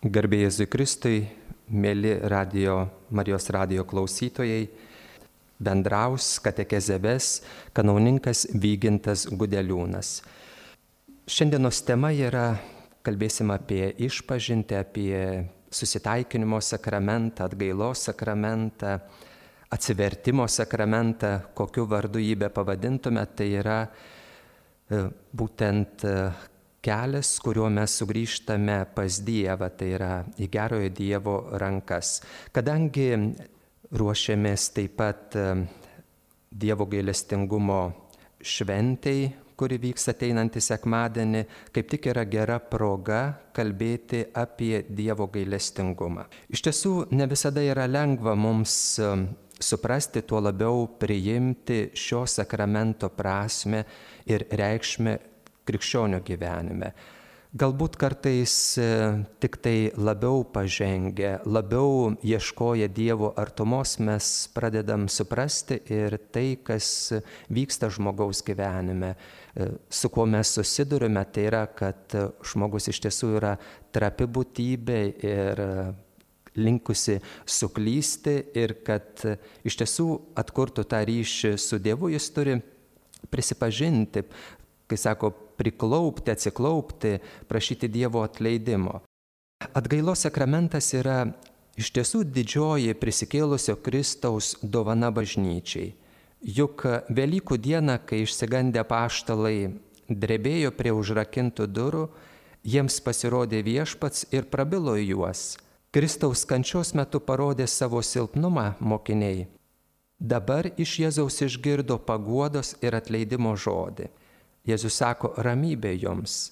Garbė Jėzui Kristui, mėly Marijos radijo klausytojai, bendraus katechezę ves kanauninkas Vygintas Gudeliūnas. Šiandienos tema yra, kalbėsim apie išpažintį, apie susitaikinimo sakramentą, atgailos sakramentą, atsivertimo sakramentą, kokiu vardu jį be pavadintume, tai yra būtent kelias, kuriuo mes sugrįžtame pas Dievą, tai yra į gerojo Dievo rankas. Kadangi ruošiamės taip pat Dievo gailestingumo šventei, kuri vyks ateinantį sekmadienį, kaip tik yra gera proga kalbėti apie Dievo gailestingumą. Iš tiesų, ne visada yra lengva mums suprasti, tuo labiau priimti šio sakramento prasmę ir reikšmę krikščionio gyvenime. Galbūt kartais tik tai labiau pažengę, labiau ieškoję Dievo artumos mes pradedam suprasti ir tai, kas vyksta žmogaus gyvenime, su kuo mes susidurime, tai yra, kad žmogus iš tiesų yra trapi būtybė ir linkusi suklysti ir kad iš tiesų atkurtų tą ryšį su Dievu, jis turi prisipažinti, kai sako, priklaupti, atsiklaupti, prašyti Dievo atleidimo. Atgailos sakramentas yra iš tiesų didžioji prisikėlusio Kristaus dovana bažnyčiai. Juk Velykų dieną, kai išsigandę apaštalai drebėjo prie užrakintų durų, jiems pasirodė Viešpats ir prabilo į juos. Kristaus kančios metu parodė savo silpnumą mokiniai. Dabar iš Jėzaus išgirdo paguodos ir atleidimo žodį. Jėzus sako, ramybė jums,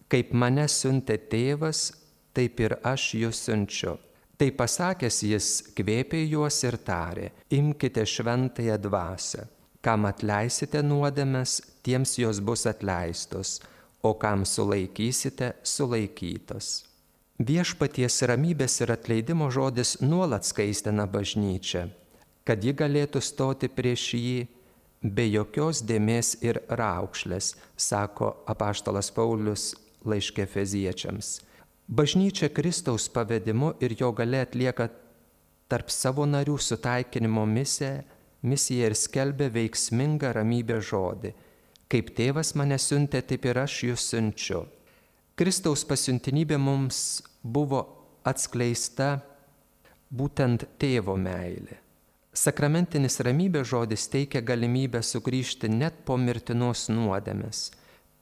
kaip mane siuntė tėvas, taip ir aš jūs siunčiu. Tai pasakęs jis kvėpė juos ir tarė, imkite šventąją dvasią. Kam atleisite nuodėmes, tiems jos bus atleistos, o kam sulaikysite, sulaikytos. Viešpaties ramybės ir atleidimo žodis nuolat skaistina bažnyčią, kad ji galėtų stoti prieš jį, be jokios dėmės ir raukšlės, sako apaštalas Paulius laiške Efeziečiams. Bažnyčia Kristaus pavedimu ir jo galia atlieka tarp savo narių sutaikinimo misiją ir skelbia veiksmingą ramybės žodį. Kaip tėvas mane siuntė, taip ir aš jūs siunčiu. Kristaus pasiuntinybė mums buvo atskleista būtent tėvo meilė. Sakramentinis ramybės žodis teikia galimybę sugrįžti net po mirtinos nuodėmės.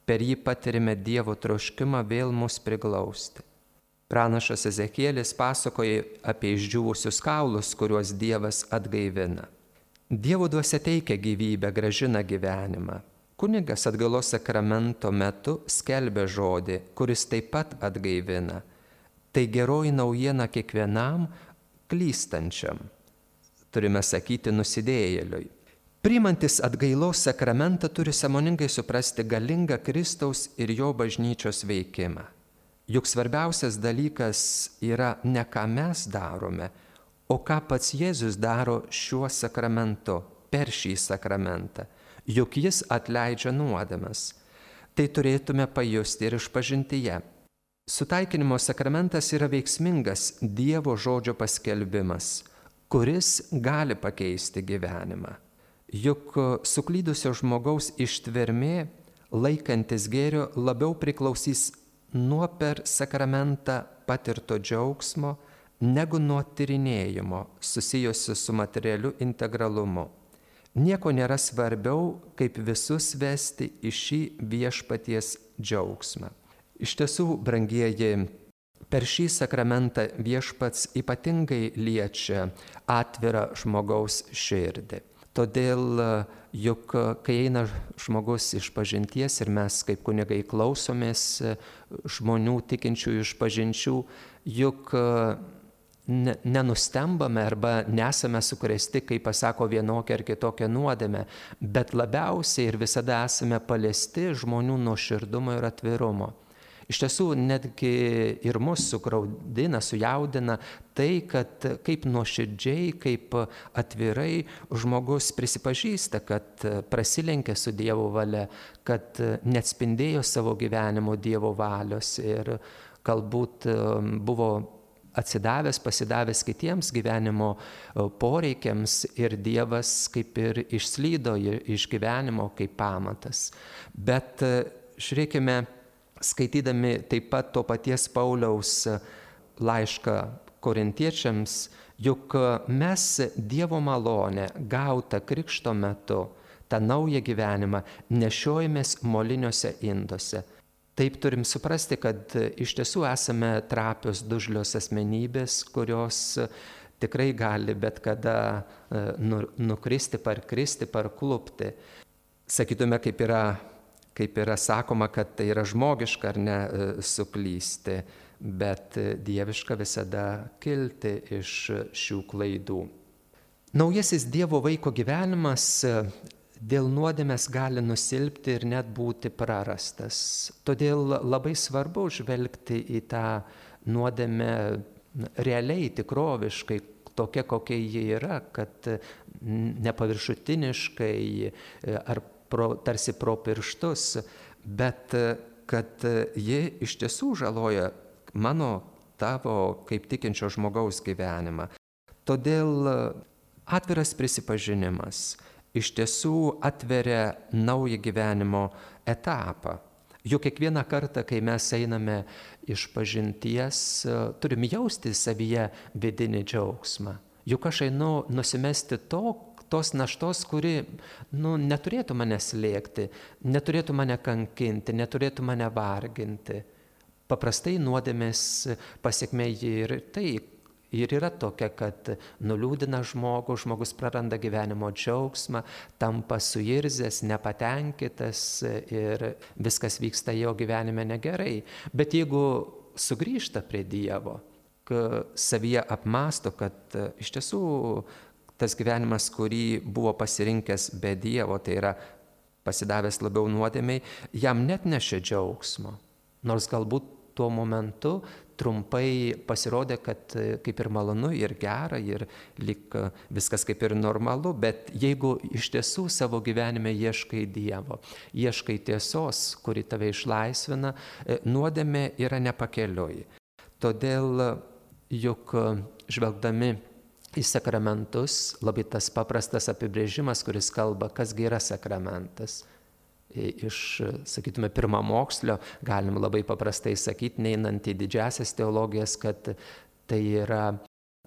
Per jį patirime Dievo troškimą vėl mus priglausti. Pranašas Ezekielis pasakoja apie išdžiūvusius kaulus, kuriuos Dievas atgaivina. Dievo dvasia teikia gyvybę, gražina gyvenimą. Kunigas atgailos sakramento metu skelbia žodį, kuris taip pat atgaivina. Tai geroji naujiena kiekvienam klystančiam. Turime sakyti nusidėjėliui. Priimantis atgailos sakramentą turi sąmoningai suprasti galingą Kristaus ir jo bažnyčios veikimą. Juk svarbiausias dalykas yra ne ką mes darome, o ką pats Jėzus daro šiuo sakramentu, per šį sakramentą. Juk jis atleidžia nuodėmes. Tai turėtume pajusti ir išpažintyje. Sutaikinimo sakramentas yra veiksmingas Dievo žodžio paskelbimas, kuris gali pakeisti gyvenimą. Juk suklydusio žmogaus ištvermė, laikantis gėrio, labiau priklausys nuo per sakramentą patirto džiaugsmo, negu nuo tyrinėjimo susijusio su materialiu integralumu. Nieko nėra svarbiau, kaip visus vesti į šį viešpaties džiaugsmą. Iš tiesų, brangieji, per šį sakramentą Viešpats ypatingai liečia atvirą žmogaus širdį. Todėl, juk kai eina žmogus išpažinties ir mes kaip kunigai klausomės žmonių tikinčių išpažinčių, juk nenustembame arba nesame sukrėsti, kai pasako vienokią ar kitokią nuodėmę, bet labiausiai ir visada esame paliesti žmonių nuoširdumo ir atvirumo. Iš tiesų, netgi ir mus sugraudina, sujaudina tai, kad kaip nuoširdžiai, kaip atvirai žmogus prisipažįsta, kad prasilenkė su Dievo valia, kad neatspindėjo savo gyvenimo Dievo valios ir galbūt buvo atsidavęs, pasidavęs kitiems gyvenimo poreikiams ir Dievas kaip ir išslydo iš gyvenimo kaip pamatas. Bet žiūrėkime, skaitydami taip pat to paties Pauliaus laišką korintiečiams, juk mes Dievo malonę gautą krikšto metu, tą naują gyvenimą nešiojamės moliniuose induose. Taip turim suprasti, kad iš tiesų esame trapios, dužlios asmenybės, kurios tikrai gali bet kada nukristi, parkristi, parklupti. Sakytume, kaip yra sakoma, kad tai yra žmogiška ar ne suklysti, bet dieviška visada kilti iš šių klaidų. Naujasis Dievo vaiko gyvenimas dėl nuodėmės gali nusilpti ir net būti prarastas. Todėl labai svarbu žvelgti į tą nuodėmę realiai, tikroviškai, tokia, kokia ji yra, kad nepaviršutiniškai ar tarsi pro pirštus, bet kad ji iš tiesų žaloja mano, tavo kaip tikinčio žmogaus gyvenimą. Todėl atviras prisipažinimas iš tiesų atveria naują gyvenimo etapą. Juk kiekvieną kartą, kai mes einame iš pažinties, turim jausti savyje vidinį džiaugsmą. Juk aš einu nusimesti tos naštos, kuri neturėtų mane slėgti, neturėtų mane kankinti, neturėtų mane varginti. Paprastai nuodėmės pasekmė ir yra tokia, kad nuliūdina žmogus praranda gyvenimo džiaugsmą, tampa suirzęs, nepatenkintas ir viskas vyksta jo gyvenime negerai. Bet jeigu sugrįžta prie Dievo, savyje apmąsto, kad iš tiesų tas gyvenimas, kurį buvo pasirinkęs be Dievo, tai yra pasidavęs labiau nuodėmei, jam net nešė džiaugsmo. Nors galbūt tuo momentu trumpai pasirodė, kad kaip ir malonu, ir gera, ir lyg viskas kaip ir normalu, bet jeigu iš tiesų savo gyvenime ieškai Dievo, ieškai tiesos, kuri tave išlaisvina, nuodėmė yra nepakeliui. Todėl juk žvelgdami į sakramentus, labai tas paprastas apibrėžimas, kuris kalba, kasgi yra sakramentas. Iš, sakytume, pirmamokslio galim labai paprastai sakyti, neinant į didžiasias teologijas, kad tai yra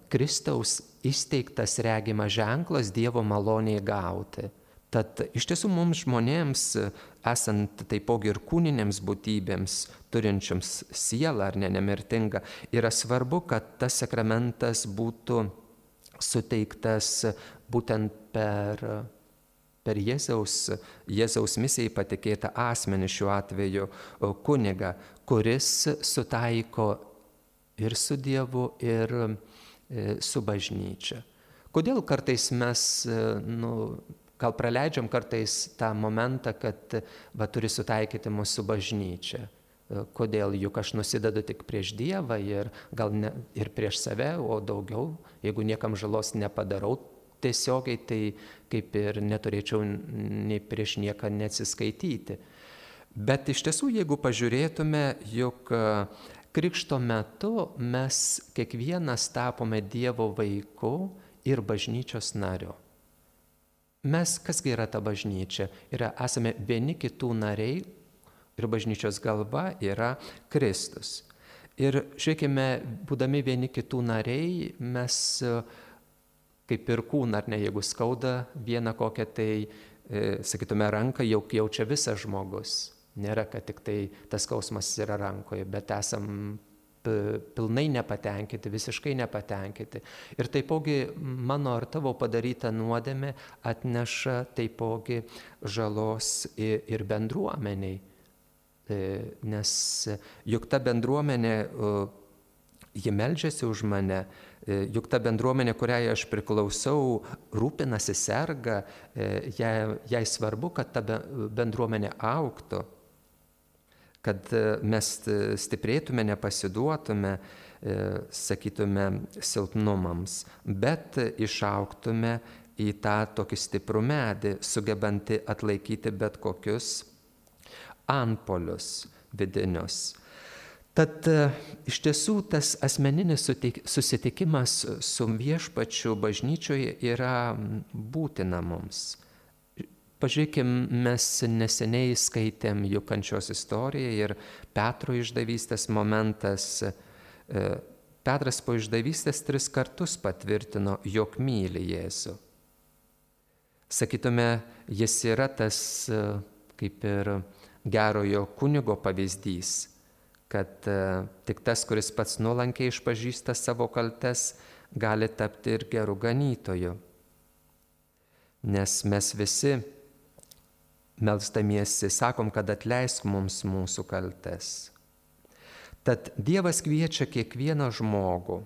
Kristaus įsteigtas regimas ženklas Dievo maloniai gauti. Tad iš tiesų mums žmonėms, esant taipogi ir kūninėms būtybėms, turinčiams sielą ar nemirtingą, yra svarbu, kad tas sakramentas būtų suteiktas būtent per Jėzaus misijai patikėtą asmenį, šiuo atveju kunigą, kuris sutaiko ir su Dievu, ir su bažnyčia. Kodėl kartais mes, gal praleidžiam kartais tą momentą, kad turi sutaikyti mus su bažnyčia? Kodėl? Juk aš nusidedu tik prieš Dievą ir gal ne, ir prieš save, o daugiau, jeigu niekam žalos nepadarau, tiesiogiai tai kaip ir neturėčiau nei prieš nieką neatsiskaityti. Bet iš tiesų, jeigu pažiūrėtume, juk krikšto metu mes kiekvienas tapome Dievo vaiku ir bažnyčios nariu. Mes, kasgi yra ta bažnyčia? Esame vieni kitų nariai ir bažnyčios galva yra Kristus. Ir žiūrėkime, būdami vieni kitų nariai, mes kaip ir kūną, ar ne, jeigu skauda vieną kokią tai, sakytume, ranką, jau jaučia visas žmogus. Nėra, kad tik tai tas skausmas yra rankoje, bet esam pilnai nepatenkinti, visiškai nepatenkinti. Ir taipogi mano ar tavo padaryta nuodėmė atneša taipogi žalos ir bendruomeniai. Nes juk ta bendruomenė, ji meldžiasi už mane, juk ta bendruomenė, kuriai aš priklausau, rūpinasi, serga, jai svarbu, kad ta bendruomenė augtų, kad mes stiprėtume, nepasiduotume, sakytume, silpnumams, bet išaugtume į tą tokį stiprų medį, sugebantį atlaikyti bet kokius antpolius vidinius. Tad iš tiesų tas asmeninis susitikimas su viešpačiu bažnyčioje yra būtina mums. Pažiūrėkim, mes neseniai skaitėm jų kančios istoriją ir Petro išdavystės momentas. Petras po išdavystės 3 kartus patvirtino, jog myli Jėzų. Sakytume, jis yra tas kaip ir gerojo kunigo pavyzdys, kad tik tas, kuris pats nuolankiai išpažįsta savo kaltes, gali tapti ir gerų ganytojų. Nes mes visi melsdamiesi sakom, kad atleisk mums mūsų kaltes. Tad Dievas kviečia kiekvieną žmogų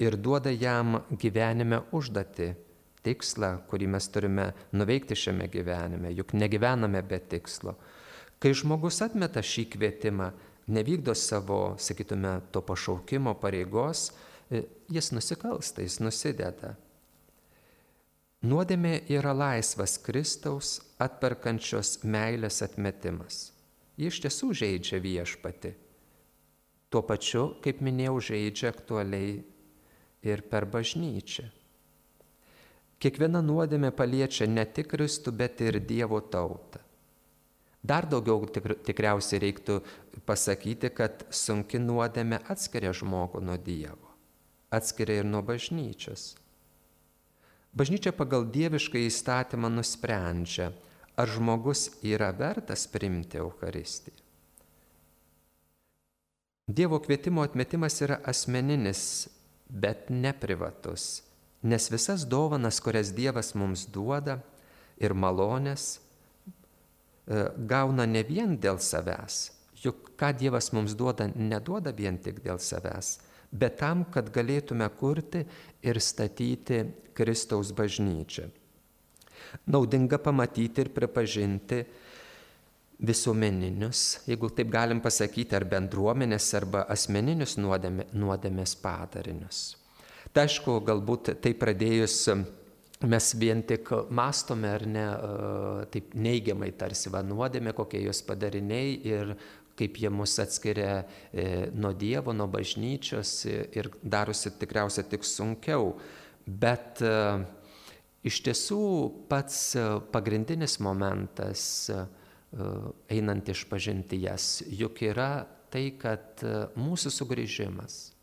ir duoda jam gyvenime užduotį, tikslą, kurį mes turime nuveikti šiame gyvenime, juk negyvename be tikslo. Kai žmogus atmeta šį kvietimą, nevykdo savo, sakytume, to pašaukimo pareigos, jis nusikalsta, jis nusideda. Nuodėmė yra laisvas Kristaus atperkančios meilės atmetimas. Ji iš tiesų žeidžia viešpatį. Tuo pačiu, kaip minėjau, žeidžia aktualiai ir per bažnyčią. Kiekviena nuodėmė paliečia ne tik Kristų, bet ir Dievo tautą. Dar daugiau tikriausiai reiktų pasakyti, kad sunki nuodėmė atskiria žmogų nuo Dievo, atskiria ir nuo bažnyčios. Bažnyčia pagal dievišką įstatymą nusprendžia, ar žmogus yra vertas priimti Eucharistiją. Dievo kvietimo atmetimas yra asmeninis, bet ne privatus, nes visas dovanas, kurias Dievas mums duoda ir malonės, gauna ne vien dėl savęs, juk ką Dievas mums duoda, neduoda vien tik dėl savęs, bet tam, kad galėtume kurti ir statyti Kristaus bažnyčią. Naudinga pamatyti ir pripažinti visuomeninius, jeigu taip galim pasakyti, ar bendruomenės, arba asmeninius nuodėmės padarinius. Tai aišku, galbūt tai pradėjus mes vien tik mąstome ar ne, taip neigiamai tarsi nuodėmė, kokie jos padariniai ir kaip jie mus atskiria nuo Dievo, nuo bažnyčios ir darosi tikriausiai tik sunkiau. Bet iš tiesų pats pagrindinis momentas einant išpažinti jas, juk yra tai, kad mūsų sugrįžimas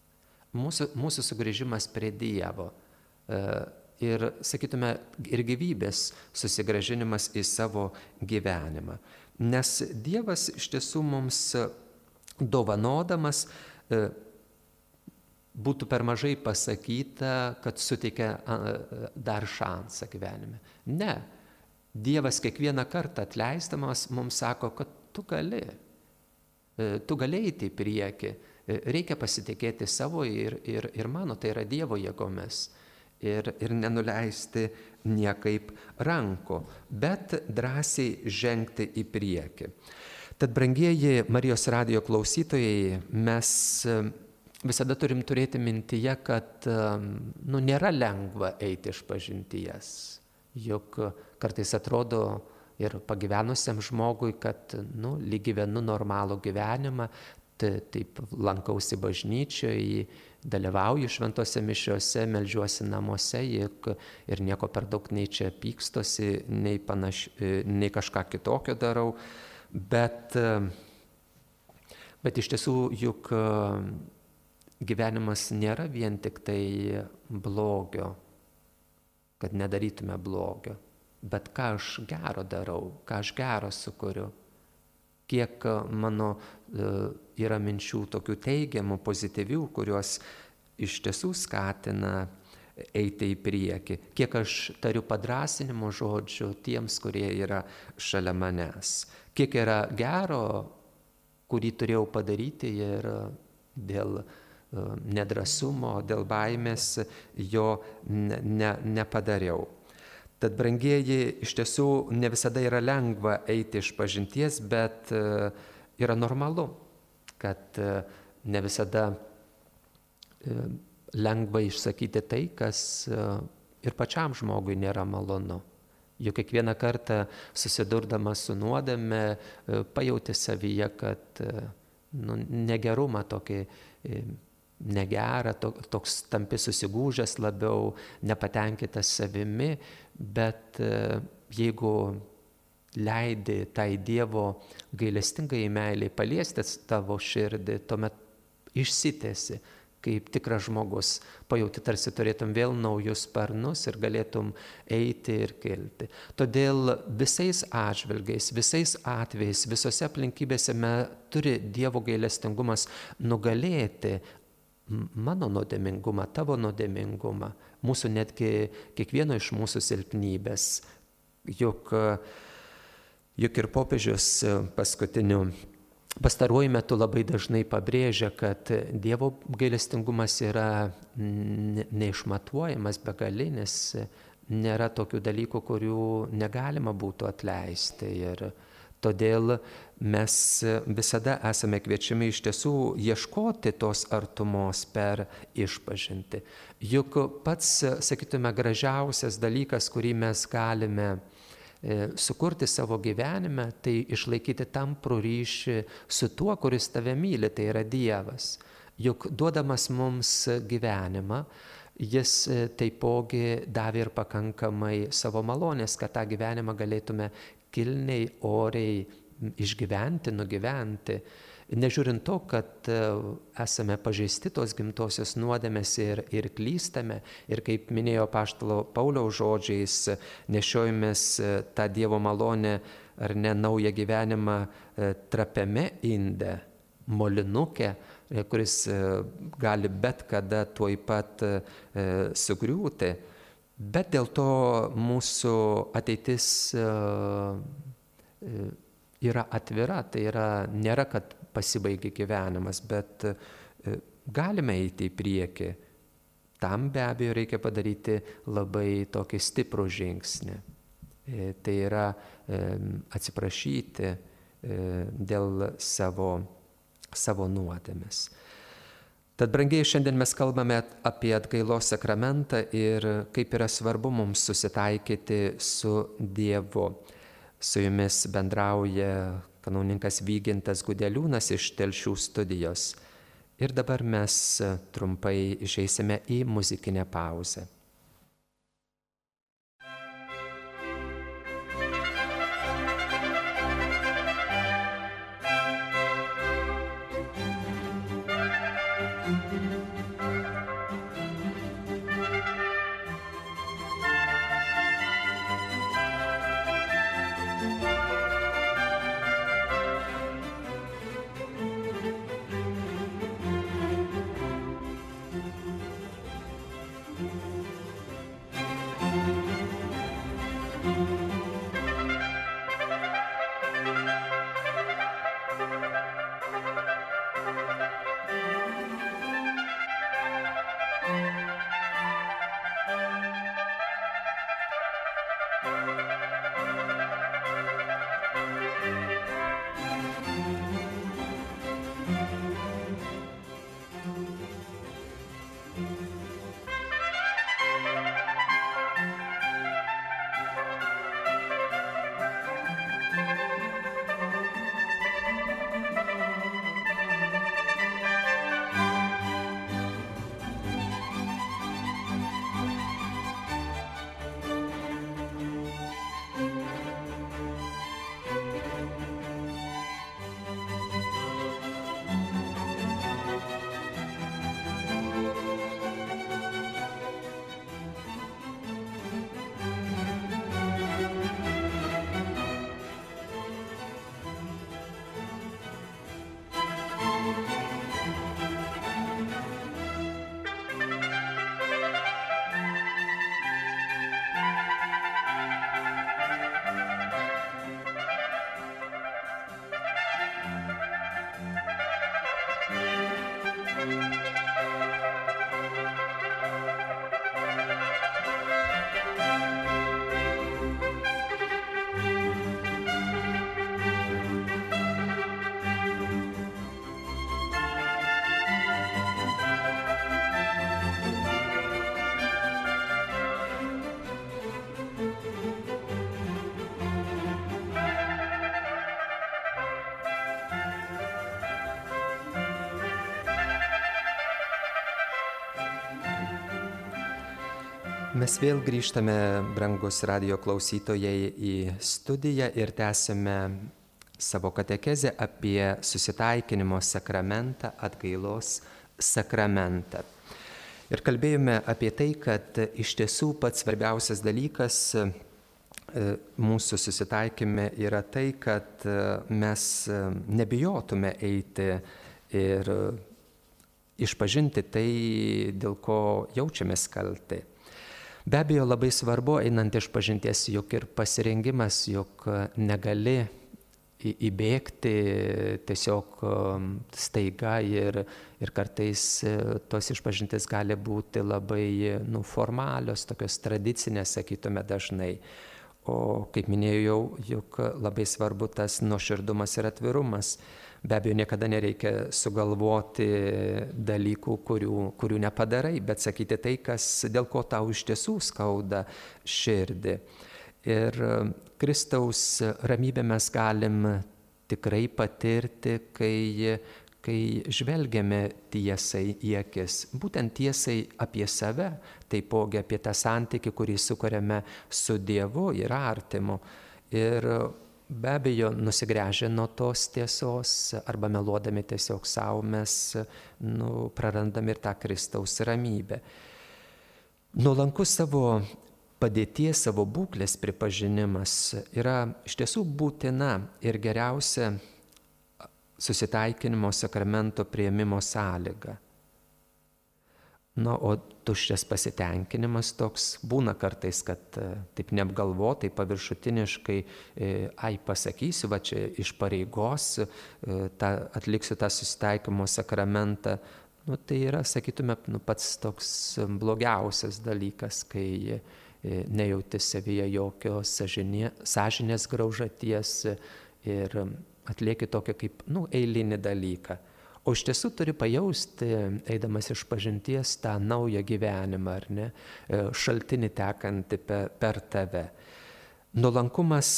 prie Dievo ir, sakytume, ir gyvybės susigrąžinimas į savo gyvenimą. Nes Dievas iš tiesų mums dovanodamas, būtų per mažai pasakyta, kad suteikia dar šansą gyvenime. Ne. Dievas kiekvieną kartą atleisdamas mums sako, kad tu gali eiti į priekį, reikia pasitikėti savo ir mano, tai yra Dievo jėgomis. Ir nenuleisti niekaip rankų, bet drąsiai žengti į priekį. Tad, brangieji Marijos radijo klausytojai, mes visada turim turėti mintyje, kad nėra lengva eiti išpažinties. Juk kartais atrodo ir pagyvenusiam žmogui, kad lyg gyvenu normalų gyvenimą, taip lankausi bažnyčioje, dalyvauju šventose mišiose, meldžiuosi namuose ir nieko per daug nei čia pykstosi, nei kažką kitokio darau. Bet iš tiesų juk gyvenimas nėra vien tik tai blogio, kad nedarytume blogio, bet ką aš gero darau, ką aš gero sukuriu. Kiek mano yra minčių tokių teigiamų, pozityvių, kurios iš tiesų skatina eiti į priekį. Kiek aš tariu padrąsinimo žodžių tiems, kurie yra šalia manęs. Kiek yra gero, kurį turėjau padaryti ir dėl nedrąsumo, dėl baimės jo nepadariau. Tad, brangieji, iš tiesų ne visada yra lengva eiti išpažinties, bet yra normalu, kad ne visada lengva išsakyti tai, kas ir pačiam žmogui nėra malonu. Juk kiekvieną kartą susidurdamas su nuodėme pajauti savyje, kad negerumą, tokį negerą, toks tampi susigūžęs labiau, nepatenkintas savimi, bet jeigu leidi tai Dievo gailestingai meiliai paliesti tavo širdį, tuomet išsitęsi kaip tikras žmogus, pajauti tarsi turėtum vėl naujus sparnus ir galėtum eiti ir kilti. Todėl visais atžvilgiais, visais atvejais, visose aplinkybėse turi Dievo gailestingumas nugalėti mano nuodėmingumą, tavo nuodėmingumą, mūsų netgi kiekvieno iš mūsų silpnybės. Juk ir popiežius pastaruoju metu labai dažnai pabrėžia, kad Dievo gailestingumas yra neišmatuojamas, begalinis, nėra tokių dalykų, kurių negalima būtų atleisti. Ir todėl mes visada esame kviečiami iš tiesų ieškoti tos artumos per išpažintį. Juk pats, sakytume, gražiausias dalykas, kurį mes galime sukurti savo gyvenime, tai išlaikyti tamprų ryšį su tuo, kuris tave myli, tai yra Dievas. Juk duodamas mums gyvenimą, jis taipogi davė ir pakankamai savo malonės, kad tą gyvenimą galėtume kilniai, oriai išgyventi, nugyventi. Nežiūrint to, kad esame pažeisti tos gimtosios nuodėmės ir klystame, ir kaip minėjo apaštalo Pauliaus žodžiais, nešiojamės tą Dievo malonę ar ne naują gyvenimą trapiame inde, molinuke, kuris gali bet kada tuoj pat sugriūti. Bet dėl to mūsų ateitis yra atvira, tai nėra, kad pasibaigia gyvenimas, bet galime eiti į priekį. Tam be abejo reikia padaryti labai tokį stiprų žingsnį. Tai yra atsiprašyti dėl savo nuodėmės. Tad, brangiai, šiandien mes kalbame apie atgailos sakramentą ir kaip yra svarbu mums susitaikyti su Dievu. Su jumis bendrauja kanauninkas Vygintas Gudeliūnas iš Telšių studijos. Ir dabar mes trumpai išeisime į muzikinę pauzę. Mes vėl grįžtame, brangus radijo klausytojai, į studiją ir tęsime savo katechezę apie susitaikinimo sakramentą, atgailos sakramentą. Ir kalbėjome apie tai, kad iš tiesų pats svarbiausias dalykas mūsų susitaikime yra tai, kad mes nebijotume eiti ir išpažinti tai, dėl ko jaučiamės kalti. Be abejo, labai svarbu, einant išpažinties, juk ir pasirengimas, juk negali įbėgti tiesiog staiga ir kartais tos išpažintis gali būti labai formalios, tokios tradicinės, sakytume dažnai. O kaip minėjau, juk labai svarbu tas nuoširdumas ir atvirumas. Be abejo, niekada nereikia sugalvoti dalykų, kurių nepadarai, bet sakyti tai, dėl ko tau iš tiesų skauda širdį. Ir Kristaus ramybę mes galim tikrai patirti, kai žvelgiame tiesai į akis, būtent tiesai apie save, taipogi apie tą santykį, kurį sukuriame su Dievu ir artimu. Ir be abejo, nusigręžę nuo tos tiesos arba meluodami tiesiog savo, mes prarandame ir tą Kristaus ramybę. Nuolankus savo padėties, savo būklės pripažinimas yra iš tiesų būtina ir geriausia susitaikinimo sakramento priėmimo sąlyga. O tuščias pasitenkinimas toks būna kartais, kad taip neapgalvotai, paviršutiniškai, pasakysiu, va čia iš pareigos, atliksiu tą susitaikymo sakramentą. Tai yra, sakytume, pats toks blogiausias dalykas, kai nejauti savyje jokios sąžinės graužaties ir atlieki tokį kaip eilinį dalyką. O iš tiesų turi pajausti, eidamas išpažinties, tą naują gyvenimą, ar ne, šaltinį tekantį per tave. Nuolankumas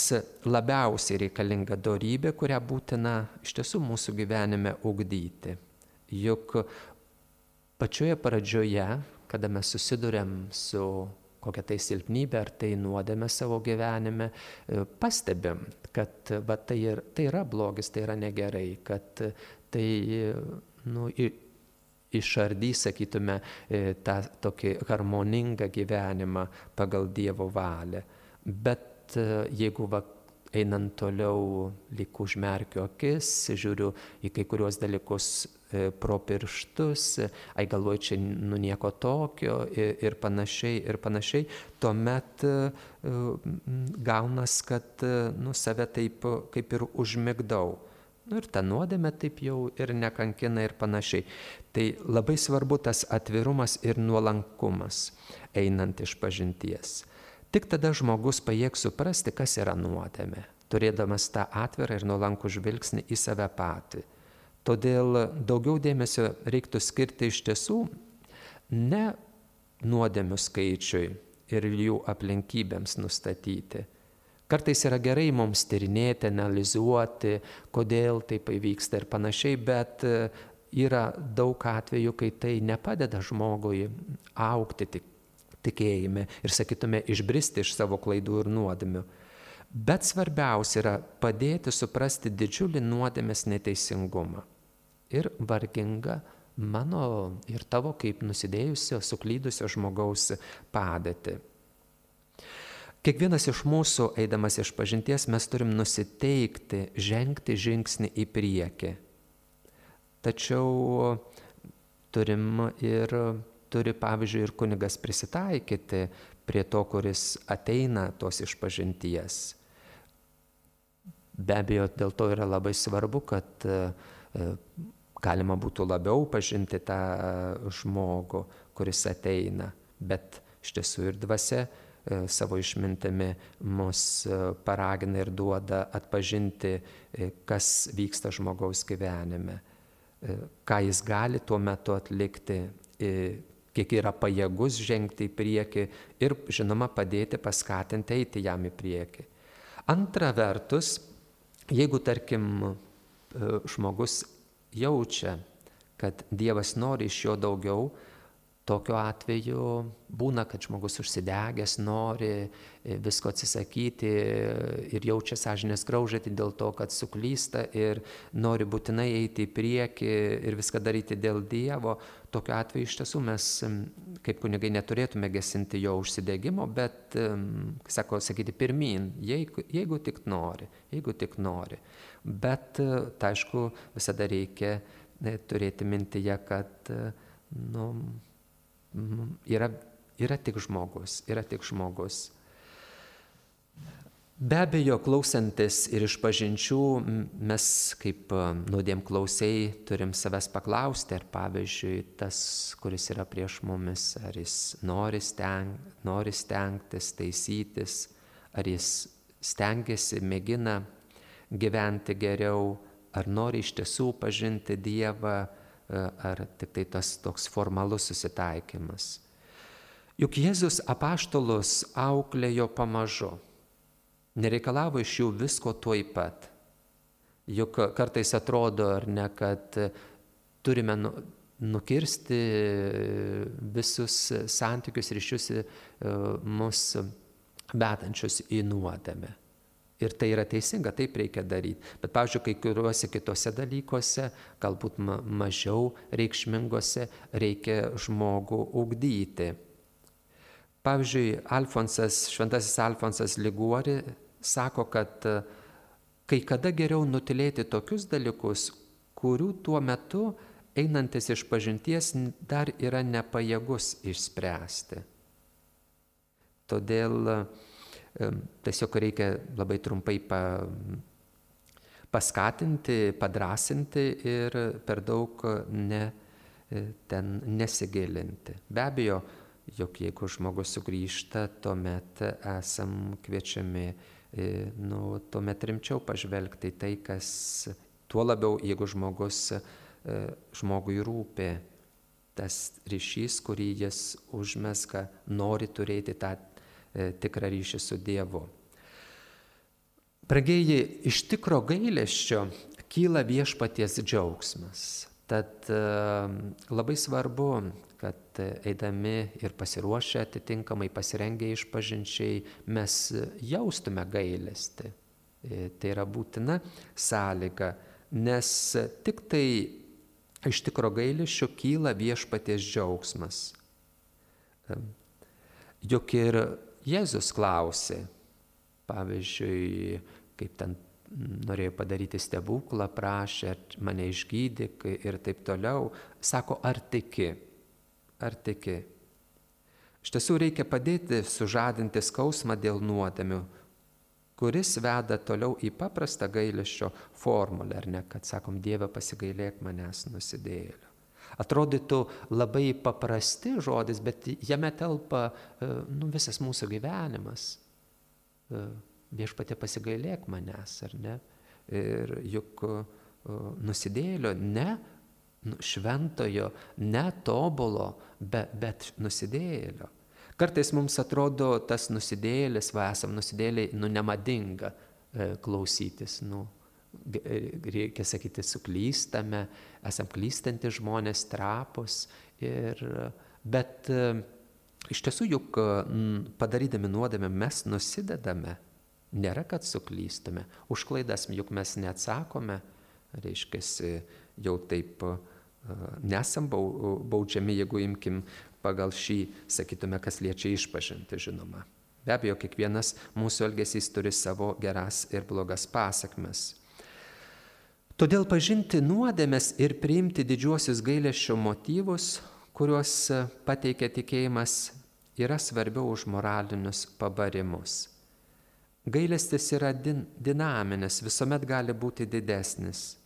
labiausiai reikalinga dorybė, kurią būtina iš tiesų mūsų gyvenime ugdyti. Juk pačioje pradžioje, kada mes susiduriam su kokia tai silpnybė ar tai nuodėmė savo gyvenime, pastebim, kad tai yra blogis, tai yra negerai, kad tai išardys, sakytume, tą tokį harmoningą gyvenimą pagal Dievo valią. Bet jeigu einant toliau, lyg užmerkiu akis, žiūriu į kai kurios dalykus pro pirštus, galvoju, čia nieko tokio ir panašiai, tuomet gaunas, kad save taip kaip ir užmigdau. Ir ta nuodėmė taip jau ir nekankina ir panašiai. Tai labai svarbu tas atvirumas ir nuolankumas, einant išpažinties. Tik tada žmogus pajėgs suprasti, kas yra nuodėmė, turėdamas tą atvirą ir nuolankų žvilgsnį į save patį. Todėl daugiau dėmesio reiktų skirti iš tiesų ne nuodėmių skaičiui ir jų aplinkybėms nustatyti. Kartais yra gerai mums tyrinėti, analizuoti, kodėl taip įvyksta ir panašiai, bet yra daug atvejų, kai tai nepadeda žmogui augti tikėjime ir, sakytume, išbristi iš savo klaidų ir nuodėmių. Bet svarbiausia yra padėti suprasti didžiulį nuodėmės neteisingumą ir vargingą mano ir tavo kaip nusidėjusio, suklydusio žmogaus padėtį. Kiekvienas iš mūsų, eidamas išpažinties, mes turim nusiteikti, žengti žingsnį į priekį. Tačiau turi, pavyzdžiui, ir kunigas prisitaikyti prie to, kuris ateina tos išpažinties. Be abejo, dėl to yra labai svarbu, kad galima būtų labiau pažinti tą žmogų, kuris ateina, bet iš tiesų ir dvasia savo išmintimi mus paragina ir duoda atpažinti, kas vyksta žmogaus gyvenime, ką jis gali tuo metu atlikti, kiek yra pajėgus žengti į priekį ir, žinoma, padėti, paskatinti eiti jam į priekį. Antra vertus, jeigu, tarkim, žmogus jaučia, kad Dievas nori iš jo daugiau, Tokiu atveju būna, kad žmogus užsidegęs, nori visko atsisakyti ir jaučia sąžinės graužatį dėl to, kad suklysta ir nori būtinai eiti į priekį ir viską daryti dėl Dievo. Tokiu atveju iš tiesų mes, kaip kunigai, neturėtume gesinti jo užsidegimo, bet, sakyti, pirmyn, jeigu tik nori. Bet, tai aišku, visada reikia turėti mintyje, kad yra tik žmogus. Be abejo, klausantis ir išpažinčių, mes kaip nuodėmklausiai turim savęs paklausti, ar pavyzdžiui tas, kuris yra prieš mumis, ar jis nori stengtis, taisytis, ar jis stengiasi, mėgina gyventi geriau, ar nori iš tiesų pažinti Dievą, ar tik tai tas toks formalus susitaikymas. Juk Jėzus apaštalus auklėjo pamažu, nereikalavo iš jų visko tuoj pat. Juk kartais atrodo, ar ne, kad turime nukirsti visus santykius ryšius mus vedančius į nuodėmę. Ir tai yra teisinga, taip reikia daryti. Bet, pavyzdžiui, kai kuriuose kitose dalykuose, galbūt mažiau reikšmingose, reikia žmogų ugdyti. Pavyzdžiui, šventasis Alfonsas Liguori sako, kad kai kada geriau nutylėti tokius dalykus, kurių tuo metu einantis išpažinties dar yra nepajėgus išspręsti. Todėl tiesiog reikia labai trumpai paskatinti, padrasinti ir per daug nesigilinti. Be abejo, jog jeigu žmogus sugrįžta, tuomet esam kviečiami tuomet rimčiau pažvelgti tai, kas tuo labiau, jeigu žmogui rūpi tas ryšys, kurį jis užmezga, nori turėti tą tikrą ryšį su Dievu. Brangieji, iš tikro gailesčio kyla viešpaties džiaugsmas. Tad labai svarbu, kad eidami ir pasiruošę atitinkamai pasirengę išpažinčiai, mes jaustume gailestį. Tai yra būtina sąlyga, nes tik tai iš tikro gailesčio kyla viešpaties džiaugsmas. Juk ir Jėzus klausė, pavyzdžiui, kaip ten norėjo padaryti stebuklą, prašė, mane išgydyk ir taip toliau. Sako, ar tiki? Iš tiesų reikia padėti sužadinti skausmą dėl nuodėmių, kuris veda toliau į paprastą gailesčio formulę, ar ne, kad sakom, Dieve, pasigailėk manęs nusidėjėlio. Atrodytų labai paprasti žodis, bet jame telpa visas mūsų gyvenimas. Viešpatie, pasigailėk manęs, ar ne? Ir juk nusidėjėlio, ne šventojo, ne tobulo, bet nusidėjėlio. Kartais mums atrodo tas nusidėjėlis, esam nusidėjėliai, nemadinga klausytis, reikia sakyti, suklystame, esam klystantys žmonės, trapus, bet iš tiesų juk padarydami nuodėmę mes nusidedame, nėra, kad suklystume, už klaidas juk mes neatsakome, reiškia, jau taip nesam baudžiami, jeigu imkim pagal šį, sakytume, kas liečia išpažinti, žinoma. Be abejo, kiekvienas mūsų elgesys turi savo geras ir blogas pasakmes. Todėl pažinti nuodėmes ir priimti didžiuosius gailesčio motyvus, kuriuos pateikia tikėjimas, yra svarbiau už moralinius pabarimus. Gailestis yra dinaminis, visuomet gali būti didesnis.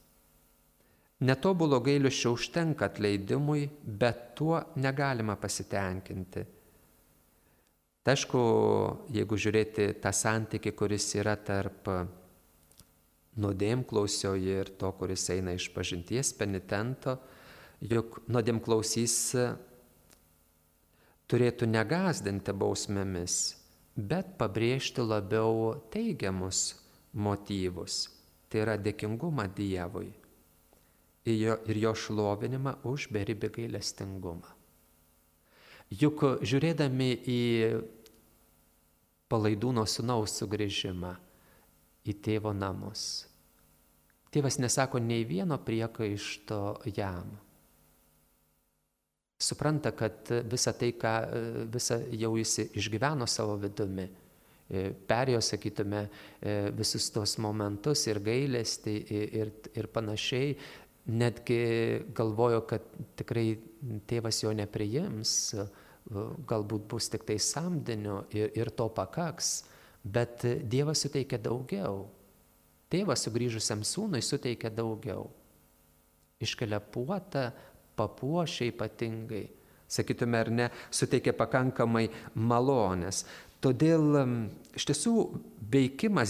Netobulo gailesčio užtenka atleidimui, bet tuo negalima pasitenkinti. Tai aišku, jeigu žiūrėti tą santykį, kuris yra tarp nuodėmklausio ir to, kuris eina išpažinties penitento, juk nuodėmklausys turėtų negąsdinti bausmėmis, bet pabrėžti labiau teigiamus motyvus. Tai yra dėkingumą Dievui ir jo šlovinimą už beribį gailestingumą. Juk žiūrėdami į Palaidūno sūnaus sugrįžimą į tėvo namus, tėvas nesako nei vieno priekaišto jam. Supranta, kad visą tai, visą jau jis išgyveno savo vidumi, perėjo, sakytume, visus tos momentus ir gailestį ir panašiai, netgi galvojo, kad tikrai tėvas jo nepriims, galbūt bus tik tai samdiniu ir to pakaks, bet Dievas suteikia daugiau. Tėvas sugrįžusiam sūnui suteikia daugiau. Iškelia puotą, papuošia ypatingai, sakytume ar ne, suteikia pakankamai malonės. Todėl iš tiesų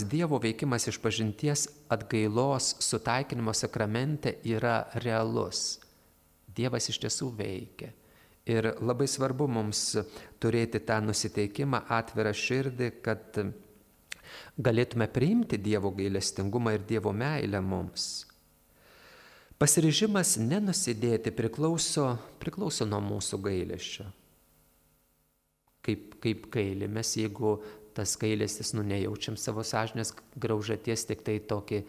Dievo veikimas išpažinties atgailos sutaikinimo sakramente yra realus. Dievas iš tiesų veikia. Ir labai svarbu mums turėti tą nusiteikimą, atvirą širdį, kad galėtume priimti Dievo gailestingumą ir Dievo meilę mums. Pasiryžimas nenusidėti priklauso nuo mūsų gailesčio. Kaip gailimės, jeigu tas gailestis, nejaučiam savo sąžinės graužaties, tik tai tokį,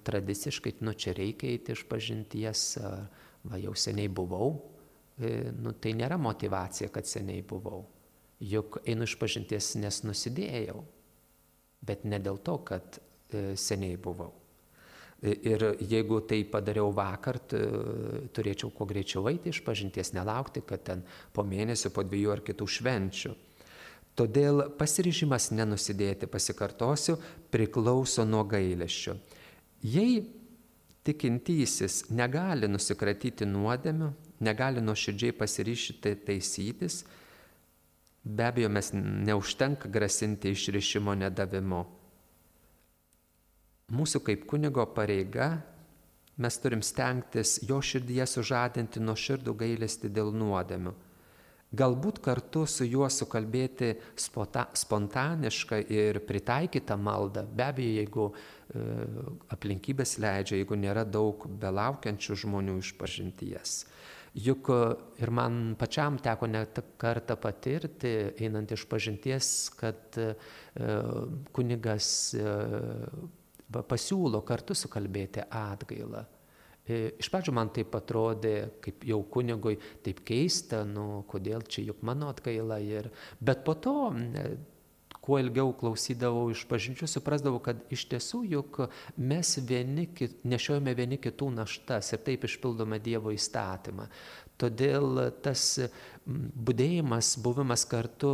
tradiciškai, čia reikia eiti išpažinties, va jau seniai buvau. Tai nėra motyvacija, kad seniai buvau. Juk einu išpažinties, nes nusidėjau, bet ne dėl to, kad seniai buvau. Ir jeigu tai padariau vakar, turėčiau kuo greičiau eiti išpažinties, nelaukti, kad ten po mėnesio, po 2 ar kitų švenčių. Todėl pasiryžimas nenusidėti, pasikartosiu, priklauso nuo gailesčio. Jei tikintysis negali nusikratyti nuodėmių, negali nuoširdžiai pasiryžti taisytis, be abejo, mes neužtenka grasinti išrišimo nedavimu. Mūsų kaip kunigo pareiga, mes turim stengtis jo širdyje sužadinti nuoširdų gailestį dėl nuodėmių. Galbūt kartu su juo sukalbėti spontanišką ir pritaikytą maldą, be abejo, jeigu aplinkybės leidžia, jeigu nėra daug belaukiančių žmonių išpažinties. Juk ir man pačiam teko net kartą patirti, einant išpažinties, kad kunigas pasiūlo kartu sukalbėti atgailą. Iš pradžių man taip atrodė, kaip jau kunigui, taip keista, kodėl čia juk mano atgaila. Bet po to, kuo ilgiau klausydavau išpažinčių, suprasdavau, kad iš tiesų juk mes nešiojame vieni kitų naštas ir taip išpildome Dievo įstatymą. Todėl tas budėjimas, buvimas kartu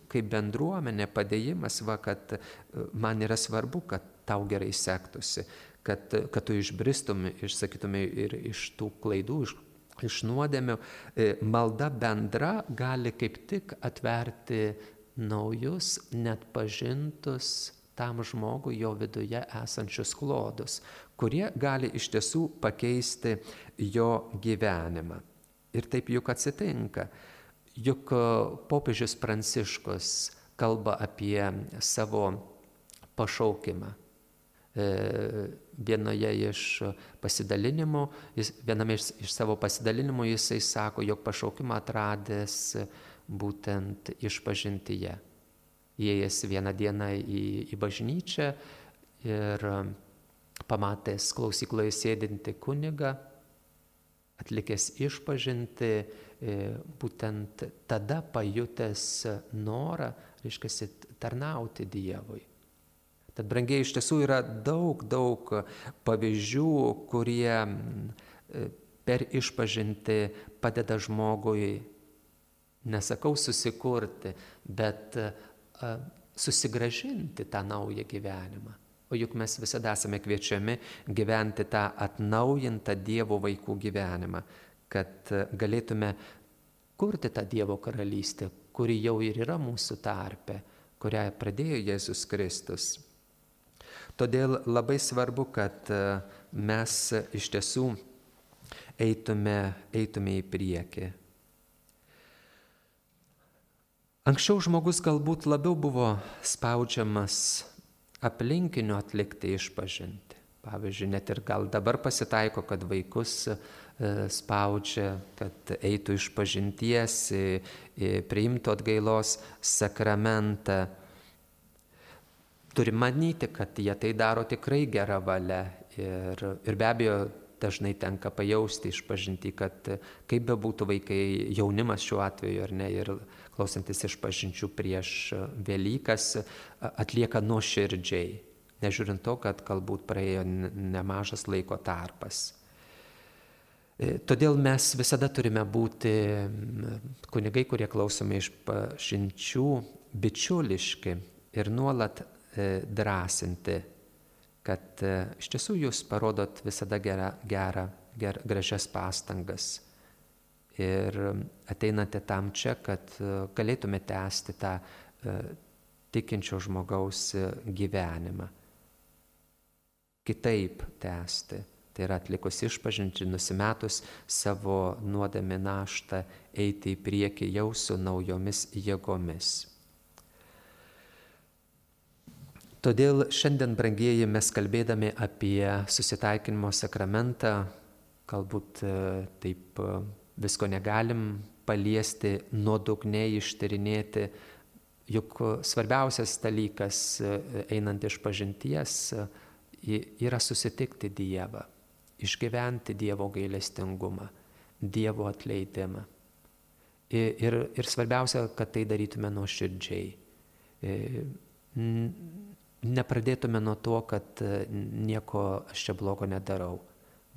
kaip bendruomenė, padėjimas, kad man yra svarbu, kad tau gerai sektųsi, kad tu išbristum, išsakytumai ir iš tų klaidų, iš nuodėmių. Malda bendra gali kaip tik atverti naujus, net pažintus tam žmogui jo viduje esančius klodus, kurie gali iš tiesų pakeisti jo gyvenimą. Ir taip juk atsitinka. Juk popiežius Pranciškus kalba apie savo pašaukimą. Viename iš savo pasidalinimų jisai sako, jog pašaukimą atradęs būtent išpažintyje. Įėjęs vieną dieną į bažnyčią ir pamatęs klausykloje sėdintį kunigą, atlikęs išpažinti, būtent tada pajutęs norą, reiškia, tarnauti Dievui. Tad, brangiai, iš tiesų yra daug pavyzdžių, kurie per išpažinti padeda žmogui, nesakau susikurti, bet susigrąžinti tą naują gyvenimą. O juk mes visada esame kviečiami gyventi tą atnaujintą Dievo vaikų gyvenimą, kad galėtume kurti tą Dievo karalystę, kuri jau ir yra mūsų tarpe, kurią pradėjo Jėzus Kristus. Todėl labai svarbu, kad mes iš tiesų eitume į priekį. Anksčiau žmogus galbūt labiau buvo spaudžiamas aplinkinių atlikti išpažinti. Pavyzdžiui, net ir gal dabar pasitaiko, kad vaikus spaudžia, kad eitų iš pažinties, priimtų atgailos sakramentą. Turi manyti, kad jie tai daro tikrai gerą valią ir be abejo dažnai tenka pajausti išpažintį, kad kaip bebūtų vaikai, jaunimas šiuo atveju ar ne, ir klausantis išpažinčių prieš Velykas atlieka nuoširdžiai, nežiūrint to, kad galbūt praėjo nemažas laiko tarpas. Todėl mes visada turime būti kunigai, kurie klausome išpažinčių, bičiuliški ir nuolat drąsinti, kad iš tiesų jūs parodot visada gražias pastangas ir ateinate tam čia, kad galėtume tęsti tą tikinčio žmogaus gyvenimą. Kitaip tęsti, tai yra atlikus išpažinčių, nusimetus savo nuodėmę naštą, eiti į priekį jau su naujomis jėgomis. Todėl šiandien, brangieji, mes kalbėdami apie susitaikinimo sakramentą, galbūt taip visko negalim paliesti, nuodugniai ištyrinėti, juk svarbiausias dalykas einant išpažinties yra susitikti Dievą, išgyventi Dievo gailestingumą, Dievo atleidimą. Ir svarbiausia, kad tai darytume nuoširdžiai. Nepradėtume nuo to, kad nieko aš čia blogo nedarau,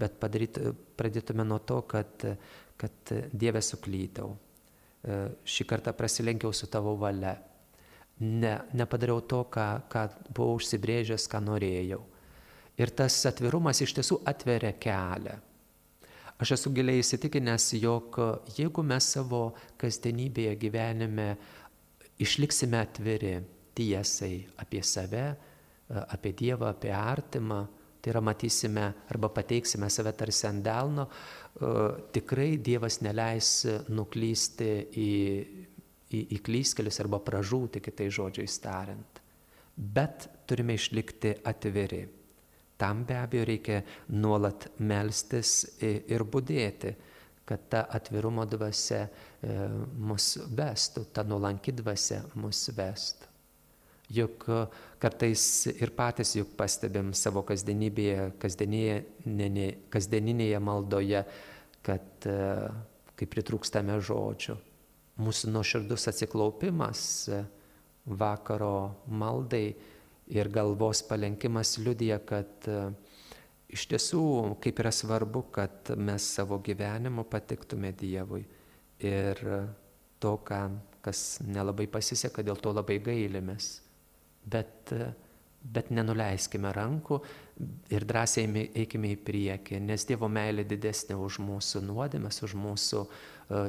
bet pradėtume nuo to, kad Dieve suklydau. Šį kartą prasilenkiau su tavo valia. Nepadariau to, ką buvau užsibrėžęs, ką norėjau. Ir tas atvirumas iš tiesų atveria kelią. Aš esu giliai įsitikinęs, jog jeigu mes savo kasdienybėje gyvenime išliksime atviri tiesai apie save, apie Dievą, apie artimą, tai yra matysime arba pateiksime save tarsi ant delno, tikrai Dievas neleis nuklysti į klystkelius arba pražūti, kitais žodžiais tariant. Bet turime išlikti atviri. Tam be abejo reikia nuolat melstis ir budėti, kad ta atvirumo dvasia mus vestų, ta nuolanki dvasia mus vestų. Juk kartais ir patys juk pastebim savo kasdienybėje, kasdieninėje maldoje, kad kai pritrūkstame žodžių, mūsų nuoširdus atsiklaupimas vakaro maldai ir galvos palenkimas liudija, kad iš tiesų kaip yra svarbu, kad mes savo gyvenimu patiktume Dievui ir to, kas nelabai pasiseka, dėl to labai gailimės. Bet nenuleiskime rankų ir drąsiai eikime į priekį, nes Dievo meilė didesnė už mūsų nuodėmes, už mūsų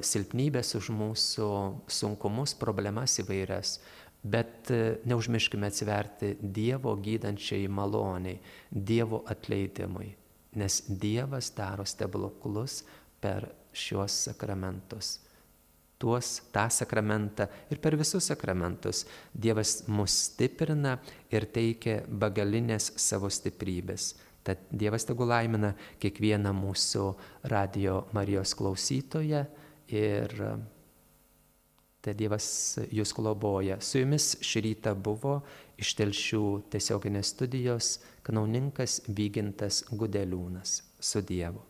silpnybės, už mūsų sunkumus, problemas įvairias. Bet neužmirškime atsiverti Dievo gydančiai maloniai, Dievo atleidimui, nes Dievas daro stebuklus per šiuos sakramentus. Tą sakramentą ir per visus sakramentus Dievas mus stiprina ir teikia begalinės savo stiprybės. Tad Dievas tegul laimina kiekvieną mūsų Radijo Marijos klausytoją ir tad Dievas jūs globoja. Su jumis šį rytą buvo iš Telšių tiesioginės studijos kanauninkas Vygintas Gudeliūnas. Su Dievu.